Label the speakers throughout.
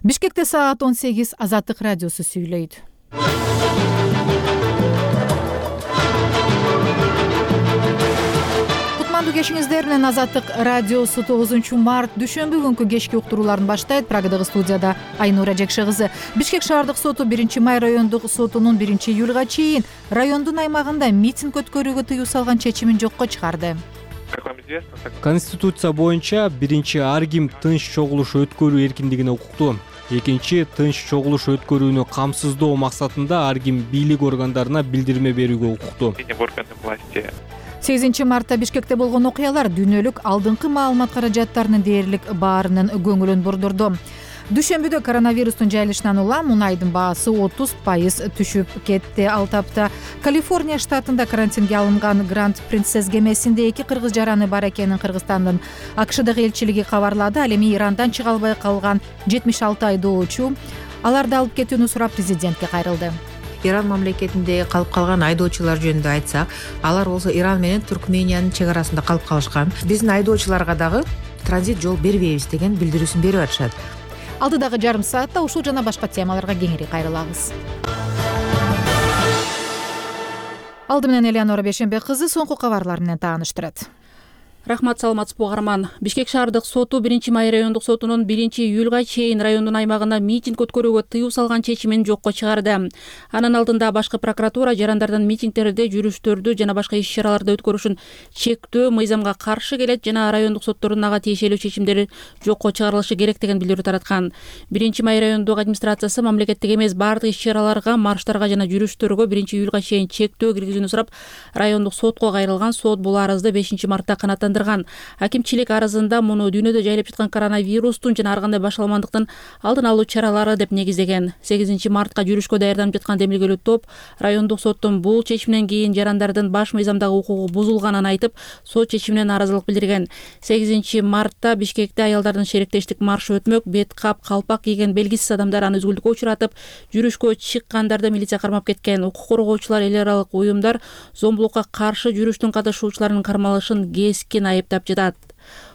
Speaker 1: Бишкекте саат 18 Азаттык радиосу сүйлөйт. Кутмандуу кечиңиздер менен Азаттык радиосу 9 март дүйшөмбү күнкү кечки уктурууларын баштайт. Прагадагы студияда Айнура Жекше кызы. Бишкек шаардык соту 1-май райондук сотунун 1-июлга чейин райондун аймагында митинг өткөрүүгө тыюу салган чечимин жокко чыгарды.
Speaker 2: Конституция боюнча биринчи ар ким тынч чогулуш өткөрүү эркиндигине укуктуу. Экинчи тынч чогулуш өткөрүүнү камсыздоо максатында ар ким бийлик органдарына билдирме берүүгө укуктуу.
Speaker 1: 8 мартта Бишкекте болгон окуялар дүйнөлүк алдыңкы маалымат каражаттарынын дээрлик баарынын көңүлүн бурдурду. Дүйшөмбүдө коронавирустун жайылышынан улам мунайдын баасы 30% түшүп кетти. Ал тапта Калифорния штатында карантинге алынган Гранд Принцесс кемесинде 2 кыргыз жараны бар экенин Кыргызстандын АКШдагы элчилиги кабарлады. Ал эми Ирандан чыга албай калган 76 айдоочу аларды алып кетүүнү сурап президентке кайрылды.
Speaker 3: Иран мамлекетинде калып калган айдоочулар жөнүндө айтсак, алар болсо Иран менен Туркмениянын чек арасында калып калышкан. Биздин айдоочуларга дагы транзит жол бербейбиз деген билдирүүсүн берип атышат.
Speaker 1: Алдыдагы жарым саатта ушул жана башка темаларга кеңири кайрылабыз. Алды менен Элеонора Бешенбек кызы соңку кабарлар менен тааныштырат.
Speaker 4: Рахмат, саламатсызбы угарман. Бишкек шаардык соту 1-май райондук сотунун 1-июлга чейин райондун аймагында митинг өткөрүүгө тыюу салган чечимин жокко чыгарды. Анын алдында башкы прокуратура жарандардын митингдерде, жүрүштөрдү жана башка иш-чараларды өткөрүшүн чектөө мыйзамга каршы келет жана райондук соттордун ага тиешелүү чечимдери жокко чыгарылышы керек деген билдирүү тараткан. 1-май райондук администрациясы мамлекеттик эмес баардык иш-чараларга, марштарга жана жүрүштөргө 1-июлга чейин чектөө киргизүүнү сурап, райондук сотко кайрылган. Сот бул арызды 5-мартта канааттандырган. Акимчилик арызында муну дүйнөдө жайылып жаткан коронавирустун жана ар кандай башаламандыктын алдын алуу чаралары деп негиздеген. 8 мартка жүрүшкө даярданып жаткан демилгелүү топ райондук соттун бул чечиминен кийин жарандардын баш мыйзамдагы укугу бузулганын айтып, сот чечимине нааразылык билдирген. 8 мартта Бишкекте аялдардын шериктештик маршы өтмөк, бет кап, калпак кийген белгисиз адамдар аны үзгүлтүккө учуратып, жүрүшкө чыккандарды милиция кармап кеткен. Укук коргоочулар, эл аралык уюмдар зомбулукка каршы жүрүштүн катышуучуларынын кармалышын кескин айыптап жатат.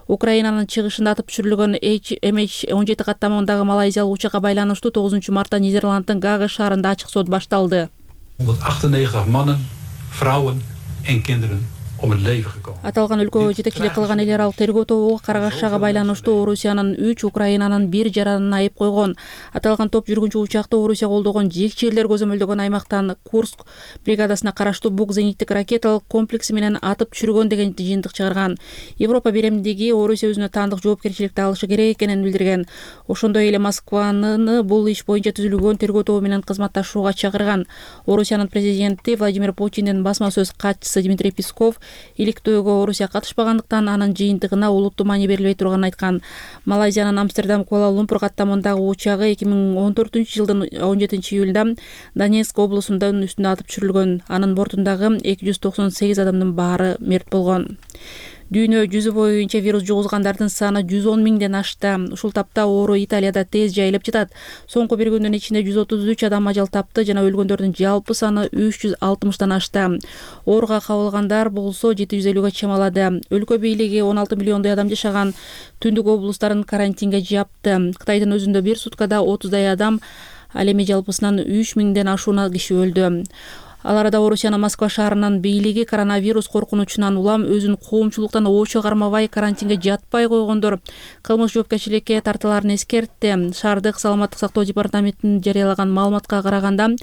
Speaker 4: Украинанын чыгышында атып түшүрүлгөн MH17 каттамындагы малайзиялык учакка байланыштуу 9 мартта Нидерланддын Гага шаарында ачык сот башталды.
Speaker 5: 198 mannen, vrouwen en kinderen om het leven gekomen.
Speaker 4: Аталган өлкөгө жетекчилик кылган эл аралык тергөө тобу Карагашага байланыштуу Орусиянын 3, Украинанын 1 жаранын айып койгон. Аталган топ жүргүнчү учакты Орусия колдогон жекчелер көзөмөлдөгөн аймактан Курск бригадасына караштуу Бук зениттик ракеталык комплекси менен атып түшүргөн деген жыйынтык чыгарган. Европа биремдиги Орусия өзүнө таандык жоопкерчиликти алышы керек экенин билдирген. Ошондой эле Москваны бул иш боюнча түзүлгөн тергөө тобу менен кызматташууга чакырган. Орусиянын президенти Владимир Путиндин басма сөз катчысы Дмитрий Песков иликтөөгө Орусия катышпагандыктан анын жыйынтыгына улуттуу маани берилбей турганын айткан. Малайзиянын Амстердам Куала-Лумпур каттамындагы учагы 2014-жылдын 17-июлунда Донецк облусунун үстүндө атып түшүрүлгөн. Анын бортундагы 298 адамдын баары мерт болгон. Дүйнө жүзү боюнча вирус жугузгандардын саны 110 миңден ашты. Ушул тапта оору Италияда тез жайылып жатат. Соңку бир күндүн ичинде 133 адам ажал тапты жана өлгөндөрдүн жалпы саны 360тан ашты. Ооруга кабылгандар болсо 750га чамалады. Өлкө бийлиги 16 миллиондой адам жашаган түндүк облустарын карантинге жапты. Кытайдын өзүндө бир суткада 30дай адам, ал эми жалпысынан 3 миңден ашуuna киши өлдү. Ал арада Орусиянын Москва шаарынын бийлиги коронавирус коркунучунан улам өзүн коомчулуктан оочо кармабай карантинге жатпай койгондор кылмыш жоопкерчиликке тартыларын эскертти. Шаардык саламаттык сактоо департаментинин жарыялаган маалыматка караганда,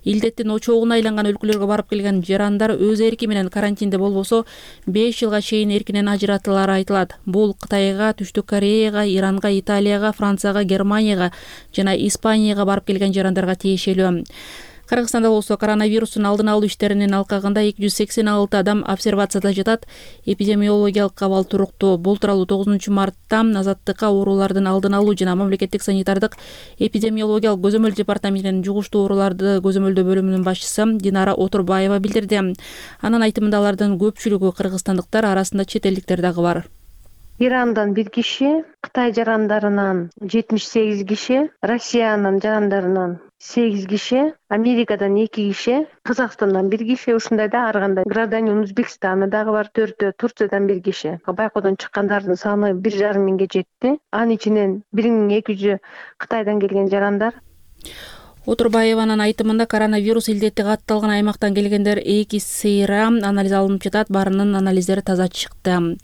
Speaker 4: илдеттин очогуна айланган өлкөлөргө барып келген жарандар өз эрки менен карантинде болбосо 5 жылга чейин эркинен ажыратылары айтылат. Бул Кытайга, Түштүк Кореяга, Иранга, Италияга, Францияга, Германияга жана Испанияга барып келген жарандарга тиешелүү. Кыргызстанда болсо коронавирустун алдын алуу иштеринин алкагында 286 адам обсервацияда жатат. Эпидемиологиялык абал туруктуу. Бул тууралуу 9 мартта Азаттыкка оорулардын алдын алуу жана мамлекеттик санитардык эпидемиологиялык көзөмөл департаментинин жугуштуу ооруларды көзөмөлдөө бөлүмүнүн башчысы Динара Отурбаева билдирди. Анын айтымында алардын көпчүлүгү кыргызстандыктар, арасында чет элдиктер дагы бар.
Speaker 6: Ирандан 1 киши, Кытай жарандарынан 78 киши, Россиянын жарандарынан 8 киши, Америкадан 2 киши, Казакстандан 1 киши, ушундай да ар кандай гражданин Өзбекстаны дагы бар 4, Турциядан 1 киши. Байкоодон чыккандардын саны 1,5 миңге жетти. Анын ичинен 1200 Кытайдан келген жарандар.
Speaker 4: Отурбаеванын айтымында коронавирус илдети катталган аймактан келгендер 2 сейра анализ алынып жатат, баарынын анализдери таза чыкты.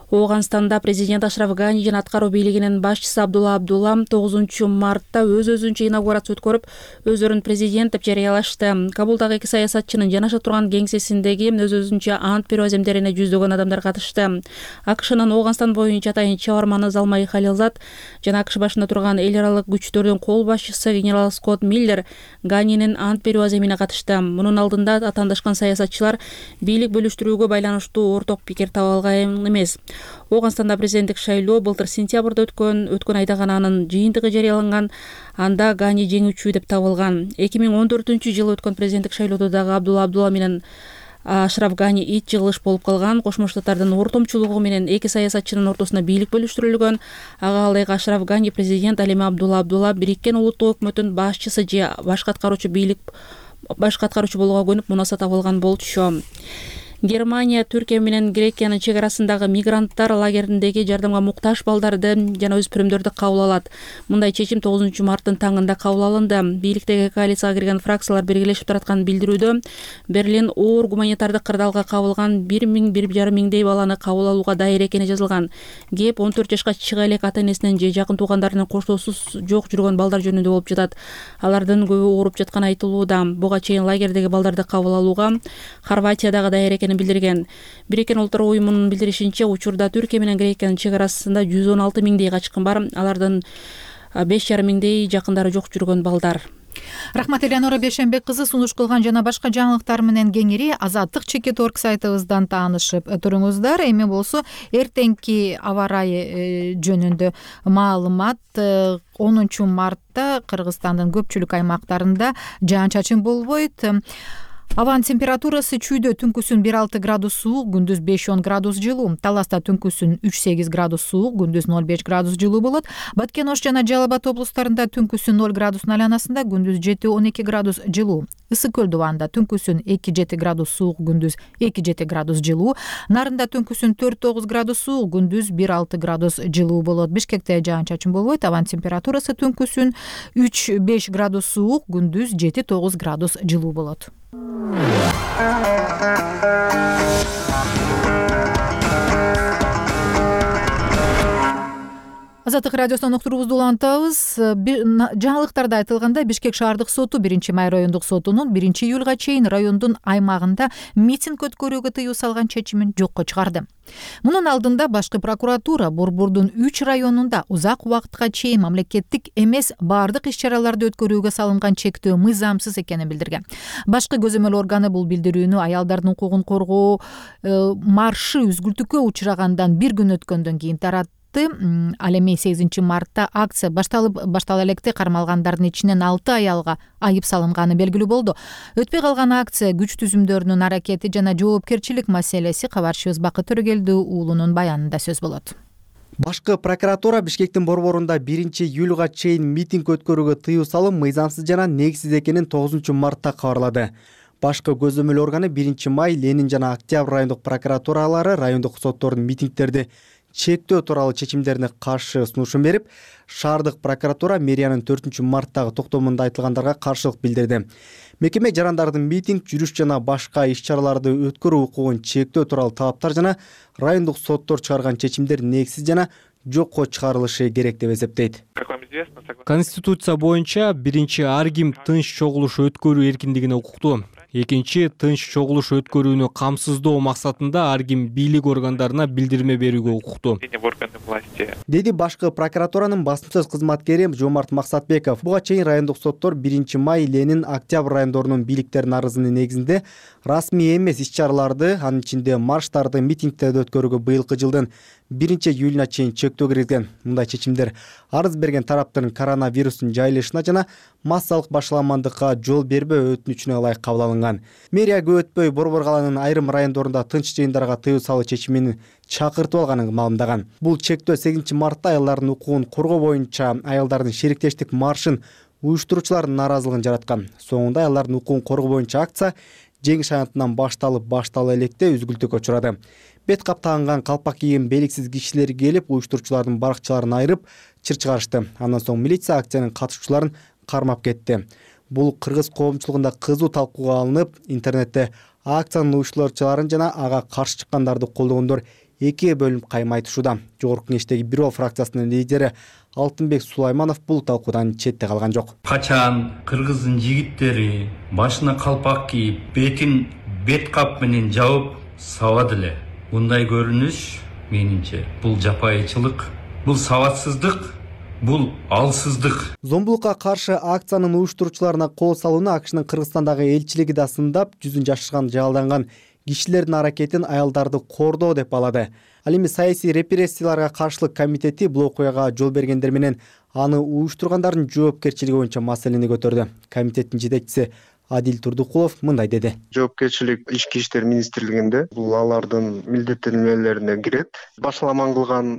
Speaker 4: Ооганстанда президент Ашраф Гани жана аткаруу бийлигинин башчысы Абдулла Абдулла 9 мартта өз-өзүнчө инаугурация өткөрүп, өздөрүн президент деп жарыялашты. Кабулдагы 2 саясатчынын жанаша турган кеңсесиндеги өз-өзүнчө ант берүү аземдерине жүздөгөн адамдар катышты. АКШнын Ооганстан боюнча атайын чабарманы Залмай Халилзад жана АКШ башында турган эл аралык күчтөрдүн кол башчысы генерал Скотт Миллер Ганинин ант берүү аземине катышты. Мунун алдында атаандашкан саясатчылар бийлик бөлүштүрүүгө байланыштуу орток пикир таба алган эмес. Ооганстанда президенттик шайлоо былтыр сентябрда өткөн айда гана анын жыйынтыгы жарыяланган. Анда Гани жеңүүчү деп табылган. 2014-жылы өткөн президенттик шайлоодо дагы Абдулла Абдулла менен Ашраф Гани ит жыгылыш болуп калган. Кошмо Штаттардын ортомчулугу менен 2 саясатчынын ортосуна бийлик бөлүштүрүлгөн. Ага ылайык Ашраф Гани президент, ал эми Абдулла Абдулла Бириккен Улуттук өкмөттүн башчысы же башкы аткаруучу болууга көнүп мунаса табылган болчу. Германия Түркия менен Грекиянын чек арасындагы мигранттар лагериндеги жардамга муктаж балдарды жана өспүрүмдөрдү кабыл алат. Мындай чечим 9 марттын таңында кабыл алынды. Бийликтеги коалицияга кирген фракциялар биргелешип тараткан билдирүүдө Берлин оор гуманитардык кырдаалга кабылган 1,5 миңдей баланы кабыл алууга дайыр экени жазылган. Кеп 14 жашка чыга элек ата-энесинен же жакын туугандарынын коштоосуз жок жүргөн балдар жөнүндө болуп жатат. Алардын көбү ооруп жатканы айтылууда. Буга чейин лагердеги балдарды кабыл алууга Хорватиядагы дайыр билдирген. Бириккен Улуттар уюмунун билдиришинче, учурда Түркия менен Грекиянын чек арасында 116 миңдей качкын бар. Алардын 5,5 миңдей жакындары жок жүргөн балдар.
Speaker 1: Рахмат Элеонора Бешенбек кызы сунуш кылган жана башка жаңылыктар менен кеңири Азаттык.org сайтыбыздан таанышып туруңуздар. Эми болсо эртеңки аба ырайы жөнүндө маалымат. 10 мартта Кыргызстандын көпчүлүк аймактарында жаан-чачын болбойт. Абанын температурасы чүйдө түнкүсүн 1,6 градус суук, күндүз 5-10 градус жылуу. Таласта түнкүсүн 3-8 градус суук, күндүз 0,5 градус жылуу болот. Баткен Ош жана Жалал Абад облустарында түнкүсүн 0 градус айланасында, күндүз 7-12 градус жылуу. Ысык Көл дубанында түнкүсүн 2-7 градус суук, күндүз 2-7 градус жылуу. Нарында түнкүсүн 4-9 градус суук, күндүз 1,6 градус жылуу болот. Бишкекте жаан-чачын болбойт. Абанын температурасы түнкүсүн 3-5 градус суук, күндүз 7-9 градус жылуу болот. Азаттык радиосунан уктуруубузду улантабыз. Жаңылыктарда айтылгандай, Бишкек шаардык соту 1-Май райондук сотунун 1-июлга чейин райондун аймагында митинг өткөрүүгө тыюу салган чечимин жокко чыгарды. Мунун алдында башкы прокуратура Борбордун 3 районунда узак убакытка чейин мамлекеттик эмес баардык иш-чараларды өткөрүүгө салынган чектөө мыйзамсыз экенин билдирген. Башкы көзөмөл органы бул билдирүүнү аялдардын укугун коргоо маршы үзгүлтүккө учрагандан 1 күн өткөндөн кийин таратты. Ал эми 8 мартта акция баштала электе кармалгандардын ичинен 6 аялга айып салынганы белгилүү болду. Өтпөй калган акция күч түзүмдөрүнүн аракети жана жоопкерчилик маселеси. Кабарчыбыз Бакыт Төрөгелди уулунун баянында сөз болот.
Speaker 7: Башкы прокуратура Бишкектин борборунда 1-июлга чейин митинг өткөрүүгө тыюу салым мыйзамсыз жана негизсиз экенин 9 мартта кабарлады. Башкы көзөмөл органы 1-Май, Ленин жана Октябрь райондук прокуратуралары райондук соттордун митингдерди чектөө тууралуу чечимдерине каршы сунушун берип, шаардык прокуратура мэриянын 4 марттагы токтомунда айтылгандарга каршылык билдирди. Мекеме жарандардын митинг, жүрүш жана башка иш-чараларды өткөрүү укугун чектөө тууралуу талаптар жана райондук соттор чыгарган чечимдер негизсиз жана жокко чыгарылышы керек деп эсептейт.
Speaker 2: Конституция боюнча биринчи ар ким тынч чогулуш өткөрүү эркиндигине укуктуу. Экинчи, тынч чогулуш өткөрүүнү камсыздоо максатында ар ким бийлик органдарына билдирме берүүгө укуктуу,
Speaker 7: деди башкы прокуратуранын басымсыз кызматкери Жомарт Максатбеков. Буга чейин райондук соттор 1-Май, Ленин, Октябрь райондорунун бийликтеринин арызынын негизинде расмий эмес иш-чараларды, анын ичинде марштарды, митингтерди өткөрүүгө быйылкы жылдын 1-июлуна чейин чектөө киргизген. Мындай чечимдер арыз берген тараптын коронавирустун жайылышына жана массалык башаламандыкка жол бербөө өтүнүчүнө ылайык кабыл алынган. Мэрия көп өтпөй Борбор калаанын айрым райондорунда тынч жыйындарга тыюу салуу чечимин чакыртып алганын маалымдаган. Бул чектөө 8 мартта аялдардын укугун коргоо боюнча аялдардын шериктештик маршын уюштуруучулардын нааразылыгын жараткан. Соңунда аялдардын укугун коргоо боюнча акция жеңиш аянтынан баштала электе үзгүлтүккө учурады. Бет кап тагынган калпак кийген белгисиз кишилер келип, уюштуруучулардын баракчаларын айырып, чыр чыгарышты. Андан соң милиция акциянын катышуучуларын кармап кетти. Бул кыргыз коомчулугунда кызуу талкууга алынып, интернетте акциянын уюштуруучуларын жана ага каршы чыккандарды колдогондор экиге бөлүнүп кайма айтышууда. Жогорку Кеңештеги Бирөө фракциясынын лидери Алтынбек Сулайманов бул талкуудан четте калган жок.
Speaker 8: Качан кыргыздын жигиттери башына калпак кийип, бетин бет кап менен жабып сабады эле. Мындай көрүнүш менимче бул жапайычылык, бул сабатсыздык, бул алсыздык.
Speaker 7: Зомбулукка каршы акциянын уюштуруучуларына кол салууну АКШнын Кыргызстандагы элчилиги да сындап, жүзүн жашырган жалданган кишилердин аракетин аялдарды кордоо деп балады. Ал эми саясий репрессияларга каршылык комитети бул окуяга жол бергендер менен аны уюштургандардын жоопкерчилиги боюнча маселени көтөрдү. Комитеттин жетекчиси Адил Турдукулов мындай деди.
Speaker 9: Жоопкерчилик Ички иштер министрлигинде бул алардын милдеттенмелерине кирет. Башаламан кылган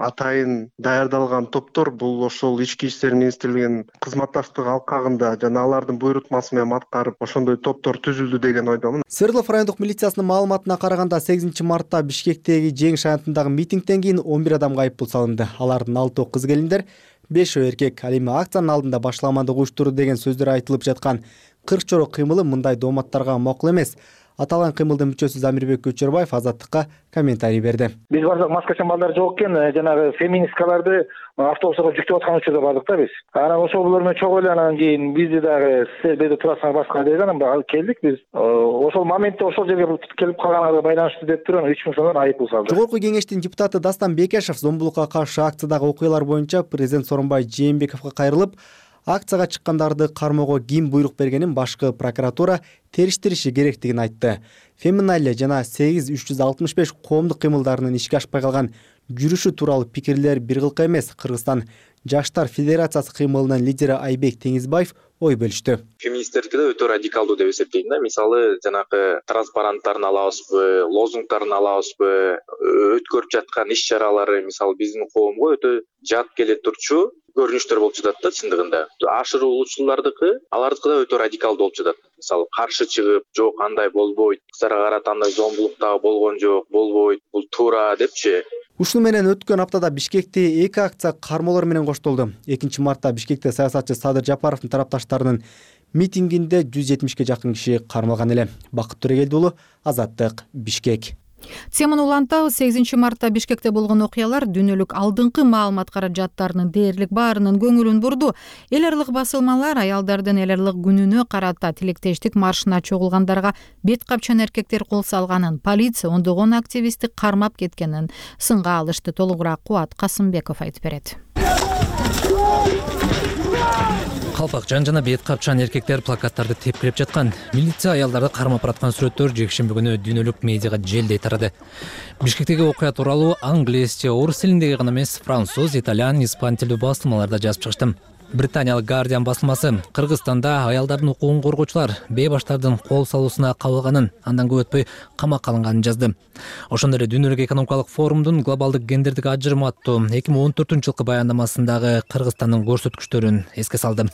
Speaker 9: атайын даярдалган топтор бул ошол Ички иштер министрлигинин кызматташтык алкагында жана алардын буйрутмасы менен аткарып ошондой топтор түзүлдү деген ойдомун.
Speaker 7: Свердлов райондук милициясынын маалыматына караганда 8 мартта Бишкектеги жеңиш аянтындагы митингден кийин 11 адамга айыппул салынды. Алардын 6 кыз келиндер, 5 эркек. Ал эми акциянын алдында башаламандык уюштуруу деген сөздөр айтылып жаткан 40 чорок кыймылы мындай дооматтарга макул эмес. Аталган кыймылдын мүчөсү Замирбек Көчөрбаев Азаттыкка комментарий берди.
Speaker 10: Биз бардык маскачан балдар жок экен, жанагы феминисткаларды автобустарга жүктөп аткан учурда бардык да биз. Анан ошол булар менен чогуу эле анан кийин бизди дагы силер бул жерде турасыңар башка деди, анан келдик биз. Ошол моментте ошол жерге келип калганга байланыштуу деп туруп 3000 сомдон айыппул салды.
Speaker 7: Жогорку Кеңештин депутаты Дастан Бекешев зомбулукка каршы акциядагы окуялар боюнча президент Сооронбай Жээнбековго кайрылып, акцияга чыккандарды кармоого ким буйрук бергенин башкы прокуратура териштириши керектигин айтты. Феминале жана 8365 коомдук кыймылдарынын ишке ашпай калган жүрүшү тууралуу пикирлер бир кылка эмес. Кыргызстан Жаштар Федерациясы кыймылынын лидери Айбек Теңизбаев ой бөлүштү.
Speaker 11: Феминисттерге өтө радикалдуу деп эсептейм да. Мисалы, жанагы транспаранттарын алабызбы, лозунгтарын алабызбы, өткөрүп жаткан иш-чаралары мисалы биздин коомго өтө жат келе турчу көрүнүштөр болуп жатат да чындыгында. Ашыруучулардыкы, алардыкы да өтө радикалдуу болуп жатат. Мисалы, каршы чыгып, жок андай болбойт, кыздарга карата андай зомбулуктагы болгон жок, болбойт, бул туура депчи.
Speaker 7: Ушуну менен өткөн аптада Бишкекте 2 акция кармоолор менен коштолду. 2 мартта Бишкекте саясатчы Садыр Жапаровдун тарапташтарынын митингинде 170ге жакын киши кармалган эле. Бакыт Төрегелди уулу, Азаттык, Бишкек.
Speaker 1: Теманы улантабыз. 8 мартта Бишкекте болгон окуялар дүйнөлүк алдыңкы маалымат каражаттарынын дээрлик баарынын көңүлүн бурду. Эл аралык басылмалар аялдардын эл аралык күнүнө карата тилектештик маршына чогулгандарга бет капчан эркектер кол салганын, полиция ондогон активистти кармап кеткенин сынга алышты. Толугураак Кубат Касымбеков айтып берет.
Speaker 12: Калпакчан жана бет капчан эркектер плакаттарды тепкилеп жаткан. Милиция аялдарды кармап бараткан сүрөттөр жекшемби күнү дүйнөлүк медиага желдей тарады. Бишкектеги окуя тууралуу англисче, орус тилиндеги гана эмес, француз, итальян, испан тилдүү басылмаларда жазып чыгышты. Британиялык Guardian басылмасы Кыргызстанда аялдардын укугун коргоочулар бейбаштардын кол салуусуна кабылганын, андан көп өтпөй камакка алынганын жазды. Ошондой эле Дүйнөлүк экономикалык форумдун глобалдык гендердик ажырым аттуу 2014-жылкы баяндамасындагы Кыргызстандын көрсөткүчтөрүн эске салды.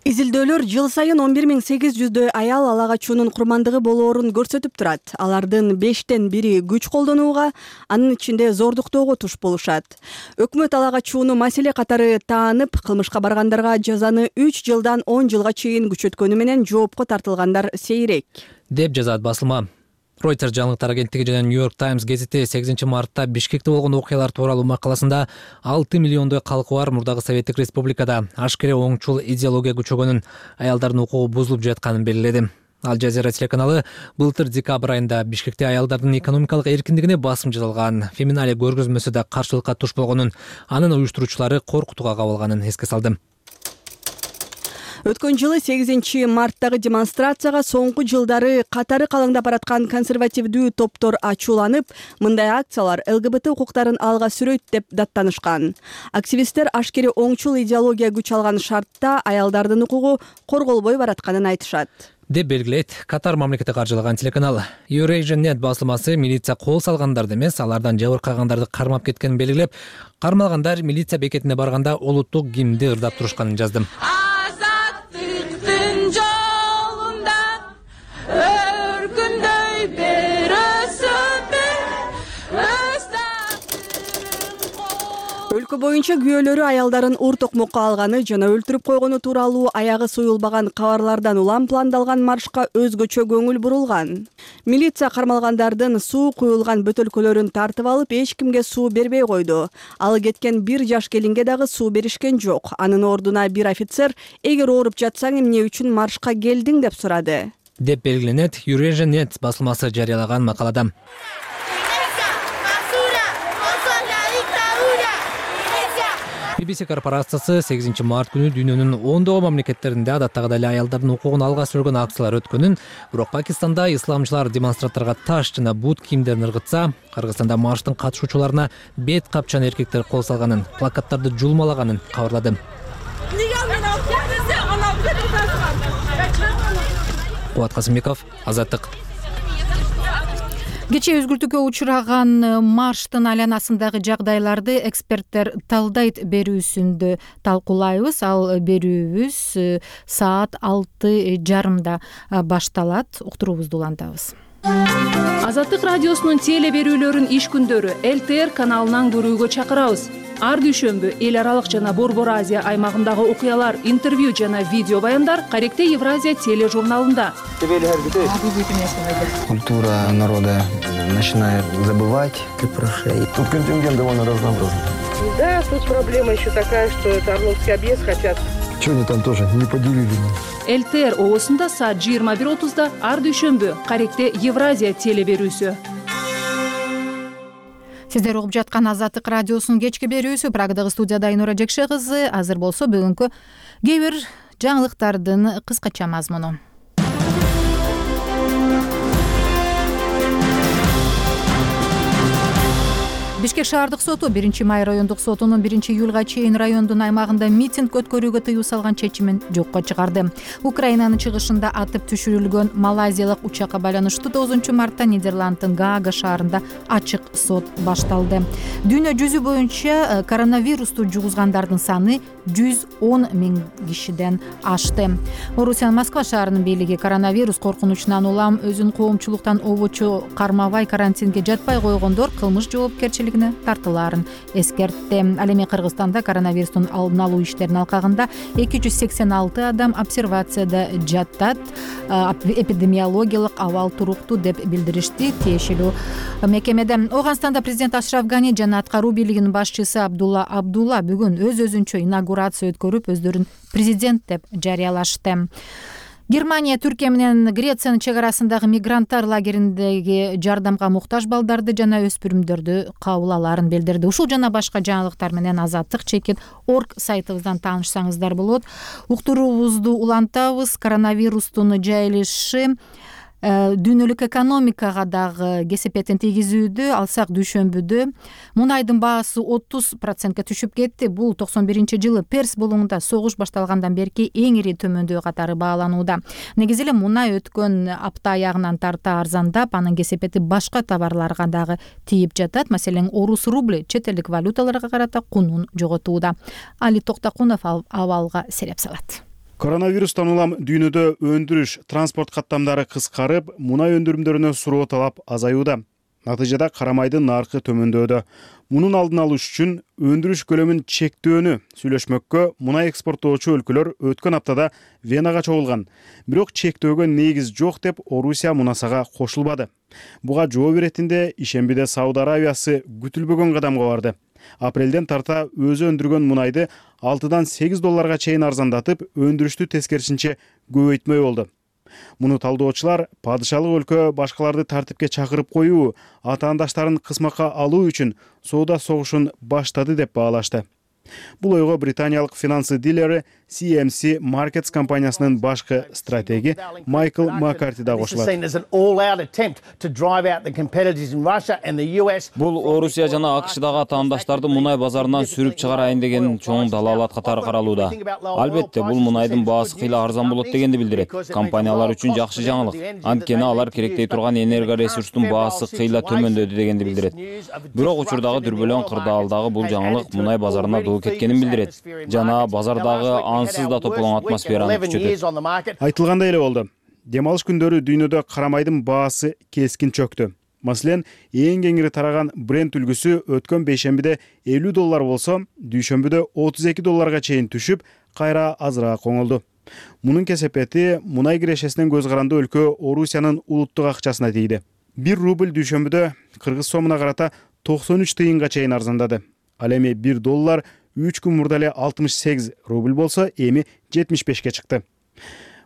Speaker 13: Изилдөөлөр жыл сайын 11800 аял ала качуунун курмандыгы болоорун көрсөтүп турат. Алардын 5тен 1 күч колдонууга, анын ичинде зордуктоого туш болушат. Өкмөт ала качууну маселе катары таанып, кылмышка баргандарга жазаны 3 жылдан 10 жылга чейин күчөткөнү менен жоопко тартылгандар сейрек,
Speaker 12: деп жазат басылма. Reuters жаңылыктар агенттиги жана New York Times гезити 8 мартта Бишкекте болгон окуялар тууралуу макаласында 6 миллиондой калкы бар мурдагы Советтик Республикада ашкере оңчул идеология күчөгөнүн, аялдардын укугу бузулуп жатканын белгиледи. Ал Жазира телеканалы былтыр декабрь айында Бишкекте аялдардын экономикалык эркиндигине басым жасалган феминале көргөзмөсү да каршылыкка туш болгонун, анын уюштуруучулары коркутууга кабылганын эске салды.
Speaker 13: Өткөн жылы 8 марттагы демонстрацияга соңку жылдары катары калыңдап бараткан консервативдүү топтор ачууланып, мындай акциялар ЛГБТ укуктарын алга сүрөйт деп даттанышкан. Активисттер ашкере оңчул идеология күч алган шартта аялдардын укугу корголбой баратканын айтышат.
Speaker 12: деп белгилейт Катар мамлекети каржылаган телеканал. Eurasian.net басылмасы милиция кол салгандарды эмес, алардан жабыркагандарды кармап кеткенин белгилеп, кармалгандар милиция бекетине барганда улуттук гимнди ырдап турушканын жазды.
Speaker 13: Өлкө боюнча күйөөлөрү аялдарын ур токмокко алганы жана өлтүрүп койгону тууралуу аягы суюлбаган кабарлардан улам пландалган маршка өзгөчө көңүл бурулган. Милиция кармалгандардын суу куюлган бөтөлкөлөрүн тартып алып, эч кимге суу бербей койду. Ал кеткен 1 жаш келинге дагы суу беришкен жок. Анын ордуна бир офицер эгер ооруп жатсаң эмне үчүн маршка келдиң деп сурады.
Speaker 12: Деп белгиленет Eurasian.net басылмасы жарыялаган макалада. BBC корпорациясы 8 март күнү дүйнөнүн ондогон мамлекеттеринде адаттагыдай эле аялдардын укугун алга сүргөн акциялар өткөнүн, бирок Пакистанда исламчылар демонстранттарга таш жана бут кийимдерин ыргытса, Кыргызстанда марштын катышуучуларына бет капчан эркектер кол салганын, плакаттарды жулмалаганын кабарлады. Кубат Касымбеков, Азаттык.
Speaker 1: Кечээ өзгөртүүгө учураган марштын айланасындагы жагдайларды эксперттер талдайт берүүсүндө талкуулайбыз. Ал берүүбүз саат 6:30 башталат. Уктуруубузду улантабыз.
Speaker 14: Азаттык радиосунун теле берүүлөрүн иш күндөрү ЛТР каналынан көрүүгө чакырабыз. Ар дүйшөмбү эл аралык жана Борбор Азия аймагындагы окуялар, интервью жана видео баяндар Каректе Евразия тележурналында.
Speaker 15: Культура народа начинает забывать как про шеи. Тут контингент довольно разнообразный.
Speaker 16: Да, тут проблема еще такая, что это Орловский объезд хотят.
Speaker 15: Что они там тоже не поделили?
Speaker 14: ЛТР оосунда саат 21:30 ар дүйшөмбү Каректе Евразия теле берүүсү.
Speaker 1: Сиздер угуп жаткан Азаттык радиосунун кечки берүүсү. Прагадагы студияда Айнура Жекше кызы. Азыр болсо бүгүнкү кээ бир жаңылыктардын кыскача мазмуну. Бишкек шаардык соту 1 май райондук сотунун 1 июлга чейин райондун аймагында митинг өткөрүүгө тыюу салган чечимин жокко чыгарды. Украинанын чыгышында атып түшүрүлгөн малайзиялык учакка байланыштуу 9 мартта Нидерланддын Гаага шаарында ачык сот башталды. Дүйнө жүзү боюнча коронавирусту жугузгандардын саны 110 000 кишиден ашты. Орусиянын Москва шаарынын бийлиги коронавирус коркунучунан улам өзүн коомчулуктан обочу кармабай карантинге жатпай койгондор кылмыш жоопкерчилигине тартылаарын эскертти. Ал эми Кыргызстанда коронавирустун алдын алуу иштеринин алкагында 286 адам обсервацияда жатат. Эпидемиологиялык абал туруктуу деп билдиришти тиешелүү мекемеде. Ооганстанда президент Ашраф Гани жана аткаруу бийлигинин башчысы Абдулла Абдулла бүгүн өз-өзүнчө инаугурация өткөрүп, өздөрүн президент деп жарыялашты. Германия Түркия менен Грециянын чек арасындагы мигранттар лагериндеги жардамга муктаж балдарды жана өспүрүмдөрдү кабыл алаарын билдирди. Ушул жана башка жаңылыктар менен Азаттык.org сайтыбыздан таанышсаңыздар болот. Уктуруубузду улантабыз. Коронавирустун жайылышы дүйнөлүк экономикага дагы кесепетин тийгизүүдө. Алсак дүйшөмбүдө мунайдын баасы 30% түшүп кетти. Бул 91-жылы Перс булуңунда согуш башталгандан берки эң ири төмөндөө катары бааланууда. Негизи эле мунай өткөн апта аягынан тарта арзандап, анын кесепети башка товарларга дагы тийип жатат. Маселен, орус рубли чет элдик валюталарга карата кунун жоготууда. Али Токтакунов абалга сереп салат.
Speaker 17: Коронавирустан улам дүйнөдө өндүрүш, транспорт каттамдары кыскарып, мунай өндүрүмдөрүнө суроо талап азаюуда. Натыйжада карамайдын наркы төмөндөөдө. Мунун алдын алыш үчүн өндүрүш көлөмүн чектөөнү сүйлөшмөккө мунай экспорттоочу өлкөлөр өткөн аптада Венага чогулган. Бирок чектөөгө негиз жок деп Орусия мунасага кошулбады. Буга жооп иретинде ишембиде Сауд Аравиясы күтүлбөгөн кадамга барды. Апрелден тарта өзү өндүргөн мунайды $6-8 чейин арзандатып, өндүрүштү тескерисинче көбөйтмөй болду. Муну талдоочулар падышалык өлкө башкаларды тартипке чакырып коюу, атаандаштарын кысмакка алуу үчүн соода согушун баштады деп баалашты. Бул ойго британиялык финансы дилери CMC Markets компаниясынын башкы стратеги Майкл Маккарти да кошулат.
Speaker 18: Бул Орусия жана АКШдагы атаандаштарды мунай базарынан сүрүп чыгарайын деген чоң далаалат катары каралууда. Албетте, бул мунайдын баасы кыйла арзан болот дегенди билдирет. Компаниялар үчүн жакшы жаңылык. Анткени алар керектей турган энергоресурстун баасы кыйла төмөндөдү дегенди билдирет. Бирок учурдагы дүрбөлөң кырдаалдагы бул жаңылык мунай базарына доо кеткенин билдирет жана базардагы ансыз да тополоң атмосфераны күчөтөт.
Speaker 17: Айтылгандай эле болду. Дем алыш күндөрү дүйнөдө карамайдын баасы кескин чөктү. Маселен, эң кеңири тараган Brent үлгүсү өткөн бейшембиде $50 болсо, дүйшөмбүдө $32 чейин түшүп, кайра азыраак оңолду. Мунун кесепети мунай кирешесинен көз каранды өлкө Орусиянын улуттук акчасына тийди. 1 рубль дүйшөмбүдө кыргыз сомуна карата 93 тыйынга чейин арзандады. Ал эми $1 3 күн мурда эле 68 рубль болсо, эми 75ке чыкты.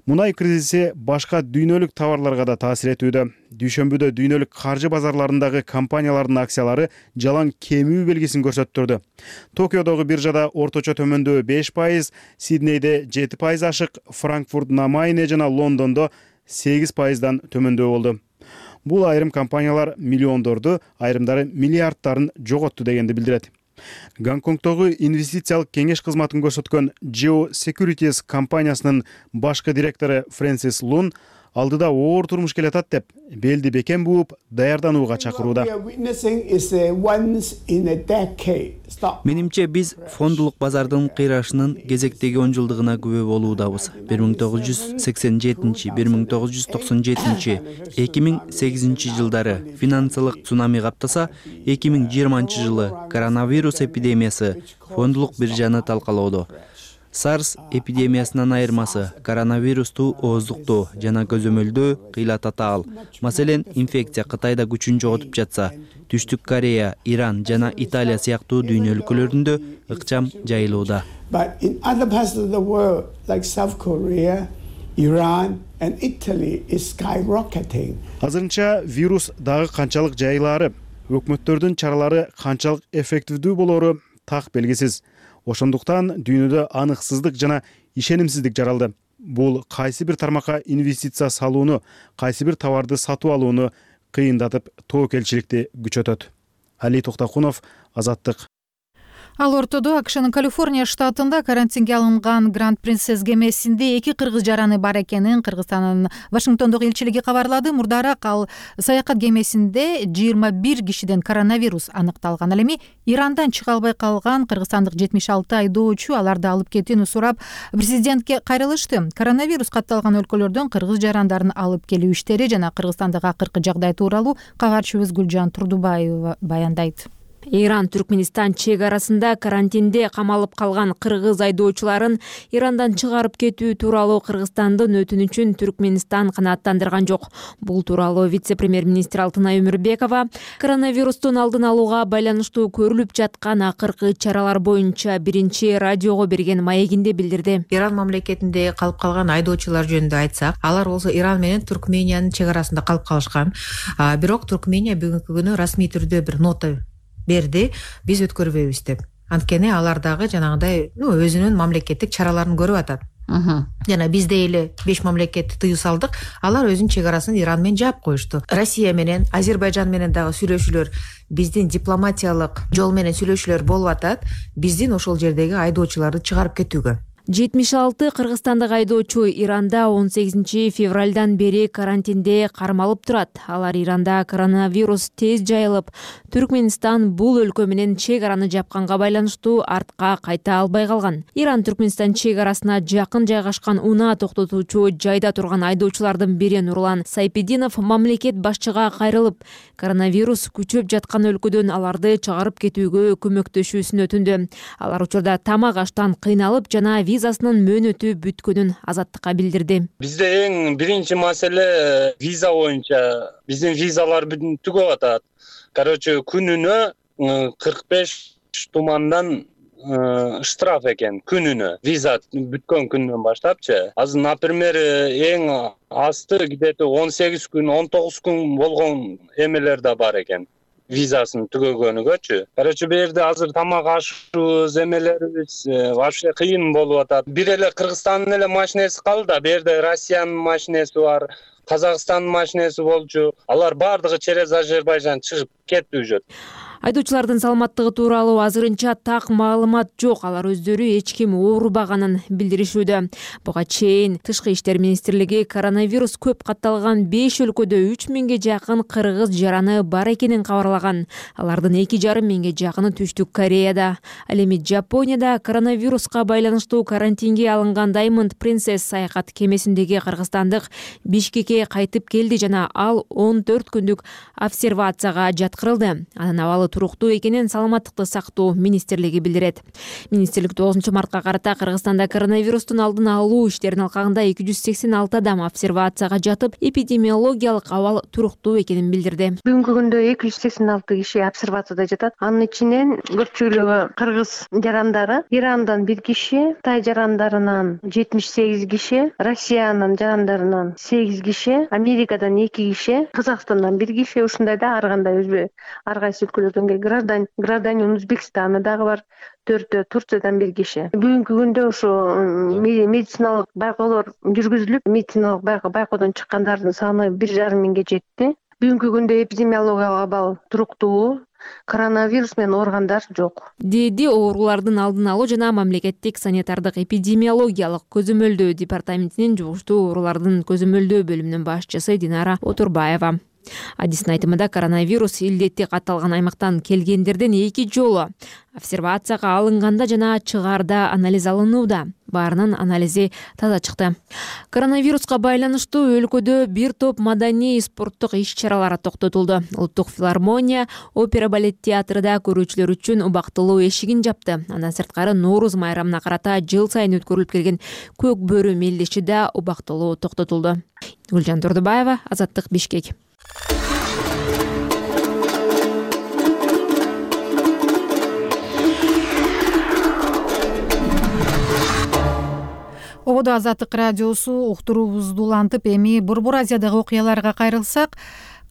Speaker 17: Мунай кризиси башка дүйнөлүк товарларга да таасир этүүдө. Дүйшөмбүдө дүйнөлүк каржы базарларындагы компаниялардын акциялары жалаң кемүү белгисин көрсөттүрдү. Токиодогу биржада орточо төмөндөө 5%, Сиднейде 7% ашык, Франкфурт на Майне жана Лондондо 8%дан төмөндөө болду. Бул айрым компаниялар миллиондорду, айрымдары миллиардтарын жоготту дегенди билдирет. Гонконгдогу инвестициялык кеңеш кызматын көрсөткөн Geo Securities компаниясынын башкы директору Фрэнсис Лун алдыда оор турмуш келатат деп белди бекем бууп даярданууга чакырууда.
Speaker 19: Менимче биз фондулук базардын кыйрашынын кезектеги 10 жылдыгына күбө болуудабыз. 1987-1997, 2008 жылдары финансылык цунами каптаса, 2020 жылы коронавирус эпидемиясы фондулук биржаны талкалоодо. SARS эпидемиясынан айырмасы коронавирусту ооздуктоо жана көзөмөлдөө кыйла татаал. Маселен, инфекция Кытайда күчүн жоготуп жатса, Түштүк Корея, Иран жана Италия сыяктуу дүйнө өлкөлөрүндө ыкчам жайылууда.
Speaker 17: Азырынча вирус дагы канчалык жайылаары, өкмөттөрдүн чаралары канчалык эффективдүү болору так белгисиз. Ошондуктан дүйнөдө аныксыздык жана ишенимсиздик жаралды. Бул кайсы бир тармакка инвестиция салууну, кайсы бир товарды сатып алууну кыйындатып, тоокелчиликти күчөтөт. Али Токтокунов, Азаттык.
Speaker 1: Ал ортодо АКШнын Калифорния штатында карантинге алынган Гранд Принцесс кемесинде 2 кыргыз жараны бар экенин Кыргызстандын Вашингтондогу элчилиги кабарлады. Мурдараак ал саякат кемесинде 21 кишиден коронавирус аныкталган. Ал эми Ирандан чыга албай калган кыргызстандык 76 айдоочу аларды алып кетүүнү сурап президентке кайрылышты. Коронавирус катталган өлкөлөрдөн кыргыз жарандарын алып келүү иштери жана Кыргызстандагы акыркы жагдай тууралуу кабарчыбыз Гүлжан Турдубаева баяндайт.
Speaker 20: Иран-Түркменистан чек арасында карантинде камалып калган кыргыз айдоочуларын Ирандан чыгарып кетүү тууралуу Кыргызстандын өтүнүчүн Түркменистан канааттандырган жок. Бул тууралуу вице-премьер-министр Алтынай Өмүрбекова коронавирустун алдын алууга байланыштуу көрүлүп жаткан акыркы чаралар боюнча биринчи радиого берген маегинде билдирди.
Speaker 3: Иран мамлекетинде калып калган айдоочулар жөнүндө айтсак, алар болсо Иран менен Түркмениянын чек арасында калып калышкан. Бирок Түркмения бүгүнкү күнү расмий түрдө бир нота берди, биз өткөрбөйбүз деп. Анткени алар дагы жанагыдай өзүнүн мамлекеттик чараларын көрүп атат. Жана бизде эле 5 мамлекетти тыюу салдык, алар өзүнүн чек арасын Иран менен жаап коюшту. Россия менен, Азербайжан менен дагы сүйлөшүүлөр, биздин дипломатиялык жол менен сүйлөшүүлөр болуп атат, биздин ошол жердеги айдоочуларды чыгарып кетүүгө.
Speaker 20: 76 кыргызстандык айдоочу Иранда 18 февралдан бери карантинде кармалып турат. Алар Иранда коронавирус тез жайылып, Түркменистан бул өлкө менен чек араны жапканга байланыштуу артка кайта албай калган. Иран-Түркменистан чек арасына жакын жайгашкан унаа токтотуучу жайда турган айдоочулардын бири Нурлан Сайпединов мамлекет башчыга кайрылып, коронавирус күчөп жаткан өлкөдөн аларды чыгарып кетүүгө көмөктөшүүсүн өтүндү. Алар учурда тамак аштан кыйналып жана визасынын мөөнөтү бүткөнүн Азаттыкка билдирди.
Speaker 21: Бизде эң биринчи маселе виза боюнча. Биздин визалар түгөп атат. Короче, күнүнө 45 тумандан штраф экен, күнүнө. Виза бүткөн күндөн баштапчы. Азыр, например, эң асты где-то 18 күн, 19 күн болгон эмелер да бар экен. визасын түгөгөнүгөчү. Короче, бу жерде азыр тамак ашыбыз, эмелерибиз вообще кыйын болуп атат. Бир эле Кыргызстандын эле машинеси калды, бу жерде Россиянын машинеси бар, Казакстандын машинеси болчу. Алар баардыгы через Азербайжан чыгып кетти уже.
Speaker 20: Айдоочулардын саламаттыгы тууралуу азырынча так маалымат жок. Алар өздөрү эч ким оорубаганын билдиришүүдө. Буга чейин Тышкы иштер министрлиги коронавирус көп катталган 5 өлкөдө 3000ге жакын кыргыз жараны бар экенин кабарлаган. Алардын 2,5 жакыны Түштүк Кореяда. Ал эми Жапонияда коронавируска байланыштуу карантинге алынган Diamond Princess саякат кемесиндеги кыргызстандык Бишкекке кайтып келди жана ал 14 күндүк обсервацияга жаткырылды. Анын абалы туруктуу экенин Саламаттыкты сактоо министрлиги билдирет. Министрлик 9 мартка карата Кыргызстанда коронавирустун алдын алуу иштеринин алкагында 286 адам обсервацияга жатып, эпидемиологиялык абал туруктуу экенин билдирди.
Speaker 6: Бүгүнкү күндө 286 киши обсервацияда жатат. Анын ичинен көпчүлүгү кыргыз жарандары, Ирандан 1 киши, Кытай жарандарынан 78 киши, Россиянын жарандарынан 8 киши, Америкадан 2 киши, Казакстандан 1 киши, ушундай да ар кандай ар кайсы өлкөлөрдөн гражданин Өзбекстана дагы бар, 4 Турциядан 1 киши. Бүгүнкү күндө ушу медициналык байкоолор жүргүзүлүп, медициналык байкоодон чыккандардын саны 1,5 миңге жетти. Бүгүнкү күндө эпидемиологиялык абал туруктуу, коронавирус менен ооругандар жок,
Speaker 20: деди оорулардын алдын алуу жана мамлекеттик санитардык эпидемиологиялык көзөмөлдөө департаментинин жугуштуу оорулардын көзөмөлдөө бөлүмүнүн башчысы Динара Отурбаева. Адистин айтымында коронавирус илдети катталган аймактан келгендерден 2 жолу обсервацияга алынганда жана чыгарда анализ алынууда. Баарынын анализи таза чыкты. Коронавируска байланыштуу өлкөдө бир топ маданий спорттук иш-чаралар токтотулду. Улуттук филармония, опера балет театрында көрүүчүлөр үчүн убактылуу эшигин жапты. Андан сырткары Нооруз майрамына карата жыл сайын өткөрүлүп келген көк бөрү мелдеши да убактылуу токтотулду. Гүлжан Турдубаева, Азаттык, Бишкек.
Speaker 1: Ободо Азаттык радиосу уктуруубузду улантып, эми Борбор Азиядагы окуяларга кайрылсак,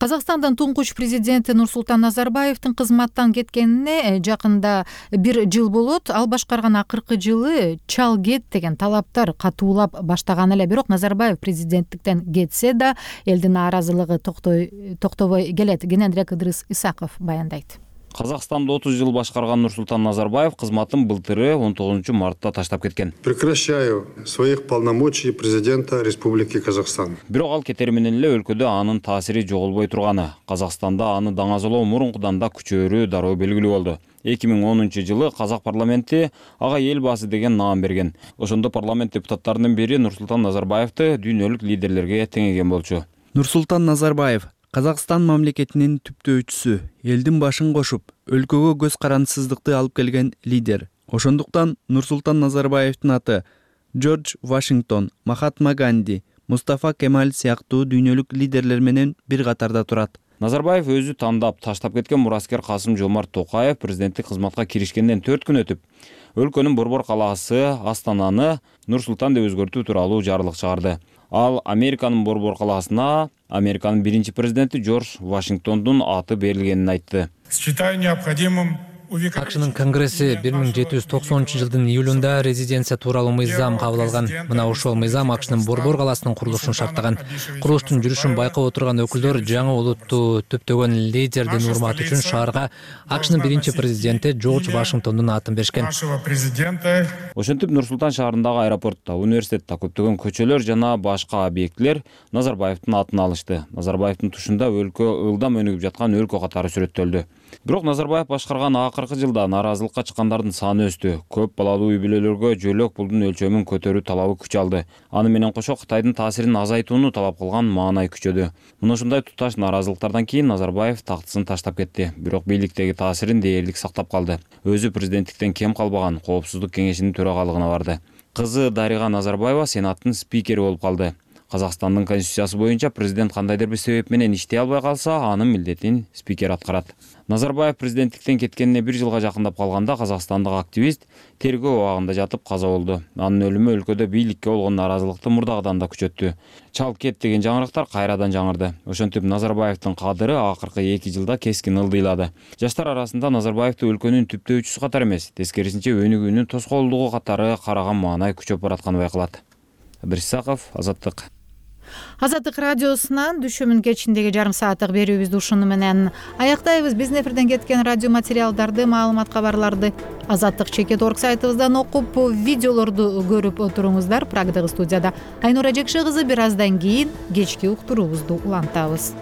Speaker 1: Казакстандын туңгуч президенти Нурсултан Назарбаевдин кызматтан кеткенине жакында 1 жыл болот. Ал башкарган акыркы жылы чал кет деген талаптар катуулап баштаган эле. Бирок Назарбаев президенттиктен кетсе да элдин нааразылыгы токтобой келет. Генендрек Ыдрыс Исаков баяндайт.
Speaker 18: Казакстанды 30 жыл башкарган Нурсултан Назарбаев кызматын былтыры 19 мартта таштап кеткен.
Speaker 5: Прекращаю своих полномочий президента Республики Казахстан.
Speaker 18: Бирок ал кетери менен эле өлкөдө анын таасири жоголбой турганы, Казакстанда аны даңазалоо мурункудан да күчөөрү дароо белгилүү болду. 2010 жылы Казак парламенти ага элбасы деген наам берген. Ошондо парламент депутаттарынын бири Нурсултан Назарбаевди дүйнөлүк лидерлерге теңеген болчу.
Speaker 19: Нурсултан Назарбаев Казакстан мамлекетинин түптөөчүсү, элдин башын кошуп, өлкөгө көз карансыздыкты алып келген лидер. Ошондуктан Нурсултан Назарбаевдин аты Джордж Вашингтон, Махатма Ганди, Мустафа Кемаль сыяктуу дүйнөлүк лидерлер менен бир катарда турат.
Speaker 18: Назарбаев өзү тандап таштап кеткен мураскер Касым Жомарт Токаев президенттик кызматка киришкенден 4 күн өтүп, өлкөнүн борбор калаасы Астананы Нур-Султан деп өзгөртүү тууралуу жарлык чыгарды. Ал Американын борбор калаасына Американын биринчи президенти Джордж Вашингтондун аты берилгенин айтты.
Speaker 22: Считаю необходимым
Speaker 12: АКШнын Конгресси 1790 жылдын июлунда резиденция тууралуу мыйзам кабыл алган. Мына ошол мыйзам АКШнын борбор калаасынын курулушун шарттаган. Курулуштун жүрүшүн байкап отурган өкүлдөр жаңы улутту түптөгөн лидердин урматы үчүн шаарга АКШнын биринчи президенти Джордж Вашингтондун атын беришкен.
Speaker 18: Ошентип Нур-Султан шаарындагы аэропортто, университетте көптөгөн көчөлөр жана башка объектилер Назарбаевдин атын алышты. Назарбаевдин тушунда өлкө ылдам өнүгүп жаткан өлкө катары сүрөттөлдү. Бирок Назарбаев башкарган акыркы жылда нааразылыкка чыккандардын саны өстү. Көп балалуу үй-бүлөлөргө жөлөк пулдун өлчөмүн көтөрүү талабы күч алды. Аны менен кошо Кытайдын таасирин азайтууну талап кылган маанай күчөдү. Мына ушундай туташ нааразылыктардан кийин Назарбаев тактысын таштап кетти. Бирок бийликтеги таасирин дээрлик сактап калды. Өзү президенттиктен кем калбаган Коопсуздук кеңешинин төрагалыгына барды. Кызы Дарига Назарбаева Сенаттын спикери болуп калды. Казакстандын конституциясы боюнча президент кандайдыр бир себеп менен иштей албай калса, анын милдетин спикер аткарат. Назарбаев президенттиктен кеткенине 1 жылга жакындап калганда казакстандык активист тергөө абагында жатып каза болду. Анын өлүмү өлкөдө бийликке болгон нааразылыкты мурдагыдан да күчөттү. Чалып кет деген жаңырыктар кайрадан жаңырды. Ошентип Назарбаевдин кадыры акыркы 2 жылда кескин ылдыйлады. Жаштар арасында Назарбаевди өлкөнүн түптөөчүсү катары эмес, тескерисинче өнүгүүнүн тоскоолдугу катары караган маанай күчөп баратканы байкалат. Исаков, Азаттык.
Speaker 1: Азаттык радиосунан дүшөмүн кечиндеги жарым сааттык берүүбүздү ушуну менен аяктайбыз. Биздин эфирден кеткен радио материалдарды, маалымат кабарларды Азаттык.org сайтыбыздан окуп, видеолорду көрүп отуруңуздар. Прагдагы студияда Айнура Жекше кызы. Бир аздан кийин кечки уктуруубузду улантабыз.